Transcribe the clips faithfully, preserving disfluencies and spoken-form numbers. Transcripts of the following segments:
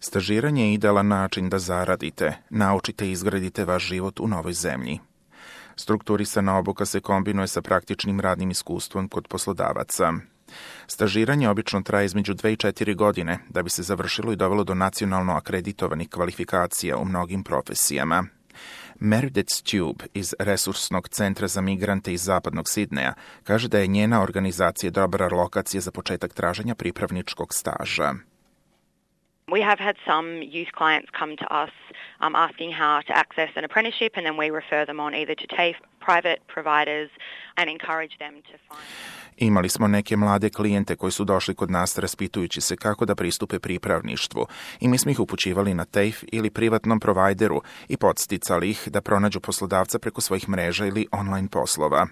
Stažiranje je idealan način da zaradite, naučite i izgradite vaš život u novoj zemlji. Strukturisana obuka se kombinuje sa praktičnim radnim iskustvom kod poslodavaca. Stažiranje obično traje između dve i četiri godine da bi se završilo i dovelo do nacionalno akreditovanih kvalifikacija u mnogim profesijama. Meredith Stube iz Resursnog centra za migrante iz zapadnog Sidneja kaže da je njena organizacija dobra lokacija za početak traženja pripravničkog staža. We have had some youth clients come to us um, asking how to access an apprenticeship, and then we refer them on either to TAFE, private providers, and encourage them to find... Imali smo neke mlade klijente koji su došli kod nas raspitujući se kako da pristupe pripravništvu i mi smo ih upućivali na TAFE ili privatnom provajderu i podsticali ih da pronađu poslodavca preko svojih mreža ili online poslova.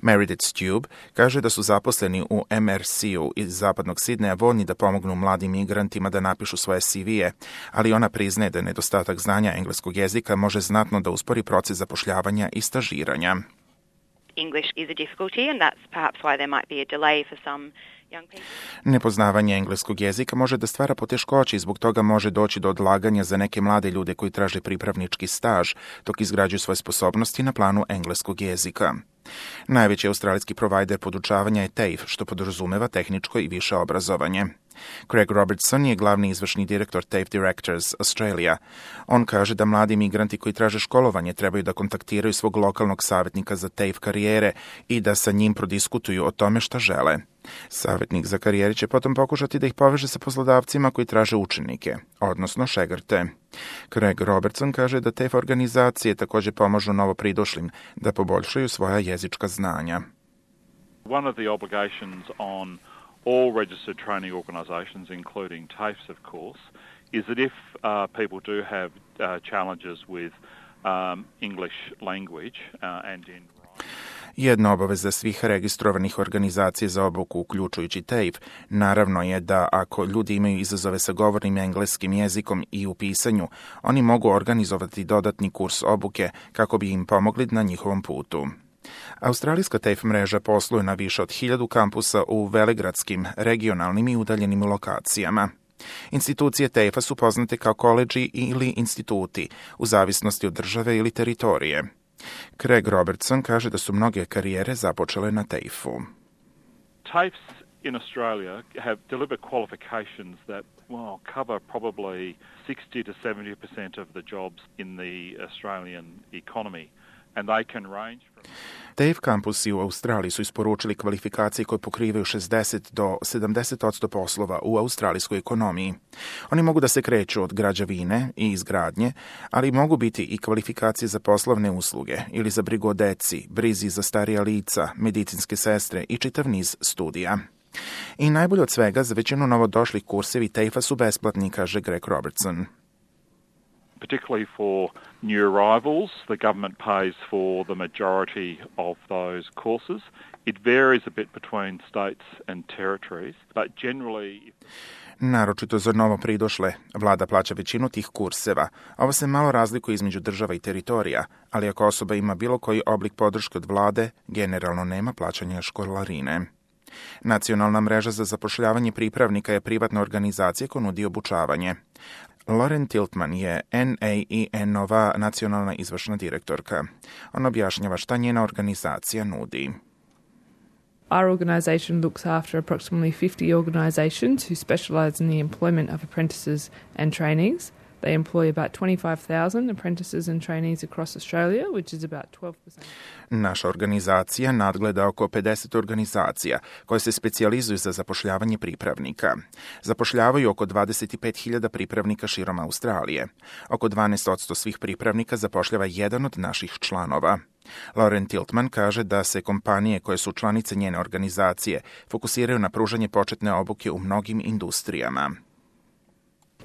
Meredith Stube kaže da su zaposleni u M R C-u iz zapadnog Sidneja voljni da pomognu mladim migrantima da napišu svoje C V-e, ali ona priznaje da nedostatak znanja engleskog jezika može znatno da uspori proces zapošljavanja i stažiranja. English is a difficulty, and that's perhaps why there might be a delay for some young people. Nepoznavanje engleskog jezika može da stvara poteškoće i zbog toga može doći do odlaganja za neke mlade ljude koji traže pripravnički staž dok izgrađuju svoje sposobnosti na planu engleskog jezika. Najveći australijski provajder podučavanja je TAFE, što podrazumeva tehničko i više obrazovanje. Craig Robertson je glavni izvršni direktor TAFE Directors Australia. On kaže da mladi migranti koji traže školovanje trebaju da kontaktiraju svog lokalnog savjetnika za TAFE karijere i da sa njim prodiskutuju o tome šta žele. Savjetnik za karijere će potom pokušati da ih poveže sa poslodavcima koji traže učenike, odnosno šegrte. Craig Robertson kaže da TAFE organizacije također pomažu novopridošlim da poboljšaju svoja jezička znanja. One of the obligations on all registered training organisations, including TAFEs, of course, is that if uh, people do have uh, challenges with um, English language uh, and in Jedna obaveza svih registrovanih organizacija za obuku, uključujući TAFE, naravno je da ako ljudi imaju izazove sa govornim engleskim jezikom i u pisanju, oni mogu organizovati dodatni kurs obuke kako bi im pomogli na njihovom putu. Australijska TAFE mreža posluje na više od hiljadu kampusa u velegradskim, regionalnim i udaljenim lokacijama. Institucije TAFE-a su poznate kao koledži ili instituti, u zavisnosti od države ili teritorije. Craig Robertson kaže da su mnoge karijere započele na TAFE-u. TAFEs in Australia have delivered qualifications that well, cover probably sixty to seventy percent of the jobs in the Australian economy. And they can range from... TAFE kampusi u Australiji su isporučili kvalifikacije koje pokrivaju šezdeset do sedamdeset posto poslova u australijskoj ekonomiji. Oni mogu da se kreću od građevine i izgradnje, ali mogu biti i kvalifikacije za poslovne usluge ili za brigu o deci, brizi za starija lica, medicinske sestre i čitav niz studija. I najbolje od svega, za većinu novodošlih kursevi TAFE-a su besplatni, kaže Greg Robertson. Particularly for new arrivals, the government pays for the majority of those courses. It varies a bit between states and territories, but generally... Naročito za novo pridošle, vlada plaća većinu tih kurseva. Ovo se malo razlikuje između država i teritorija, ali ako osoba ima bilo koji oblik podrške od vlade, generalno nema plaćanja školarine. Nacionalna mreža za zapošljavanje pripravnika je privatna organizacija koja nudi obučavanje. Lauren Tiltman je N A I N-ova nacionalna izvršna direktorka. Ona objašnjava šta njena organizacija nudi. Our organisation looks after approximately fifty organisations who specialise in the employment of apprentices and trainees. They employ about twenty-five thousand apprentices and trainees across Australia, which is about twelve percent. Naša organizacija nadgleda oko pedeset organizacija koje se specijalizuju za zapošljavanje pripravnika. Zapošljavaju oko dvadeset pet hiljada pripravnika širom Australije. Oko dvanaest posto svih pripravnika zapošljava jedan od naših članova. Lauren Tiltman kaže da se kompanije koje su članice njene organizacije fokusiraju na pružanje početne obuke u mnogim industrijama.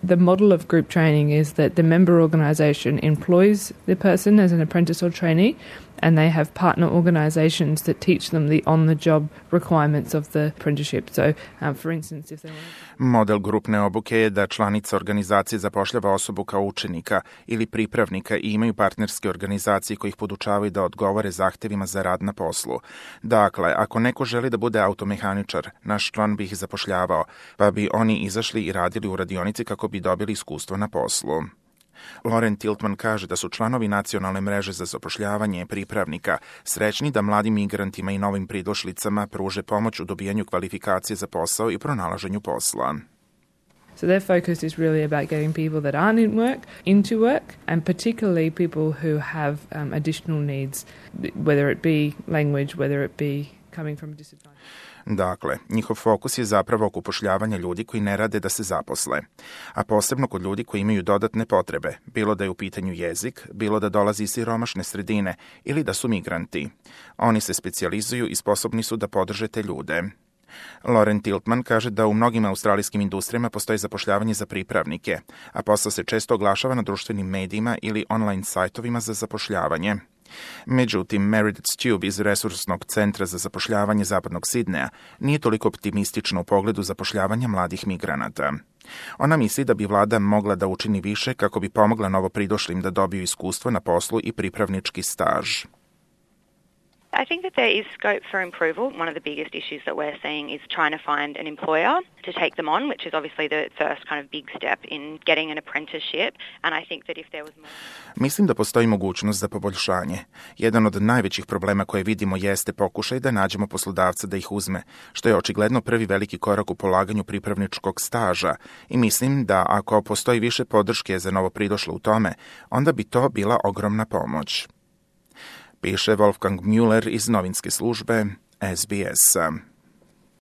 The model of group training is that the member organisation employs the person as an apprentice or trainee, and they have partner organisations that teach them the on-the-job requirements of the apprenticeship. So, um, for instance, if they want to... Model grupne obuke je da članica organizacije zapošljava osobu kao učenika ili pripravnika i imaju partnerske organizacije koji ih podučavaju da odgovore zahtevima za rad na poslu. Dakle, ako neko želi da bude automehaničar, naš član bi ih zapošljavao, pa bi oni izašli i radili u radionici kako bi dobili iskustvo na poslu. Lauren Tiltman kaže da su članovi nacionalne mreže za zapošljavanje pripravnika srećni da mladim migrantima i novim pridošlicama pruže pomoć u dobijanju kvalifikacije za posao i pronalaženju posla. So their focus is really about getting people that aren't in work into work, and particularly people who have um, additional needs, whether it be language, whether it be coming from a disadvantage. Dakle, njihov fokus je zapravo oko upošljavanja ljudi koji ne rade da se zaposle, a posebno kod ljudi koji imaju dodatne potrebe, bilo da je u pitanju jezik, bilo da dolazi iz siromašne sredine ili da su migranti. Oni se specijalizuju i sposobni su da podrže te ljude. Lauren Tiltman kaže da u mnogim australijskim industrijama postoji zapošljavanje za pripravnike, a posao se često oglašava na društvenim medijima ili online sajtovima za zapošljavanje. Međutim, Meredith Stube iz Resursnog centra za zapošljavanje Zapadnog Sidneja nije toliko optimistična u pogledu zapošljavanja mladih migranata. Ona misli da bi vlada mogla da učini više kako bi pomogla novopridošlim da dobiju iskustvo na poslu i pripravnički staž. I think that there is scope for improvement. One of the biggest issues that we're seeing is trying to find an employer to take them on, which is obviously the first kind of big step in getting an apprenticeship. And I think that if there was more... Mislim da postoji mogućnost za poboljšanje. Jedan od najvećih problema koje vidimo jeste pokušaj da nađemo poslodavca da ih uzme, što je očigledno prvi veliki korak u polaganju pripravničkog staža. I mislim da ako postoji više podrške za novopridošle u tome, onda bi to bila ogromna pomoć. Piše Wolfgang Müller iz novinske službe S B S.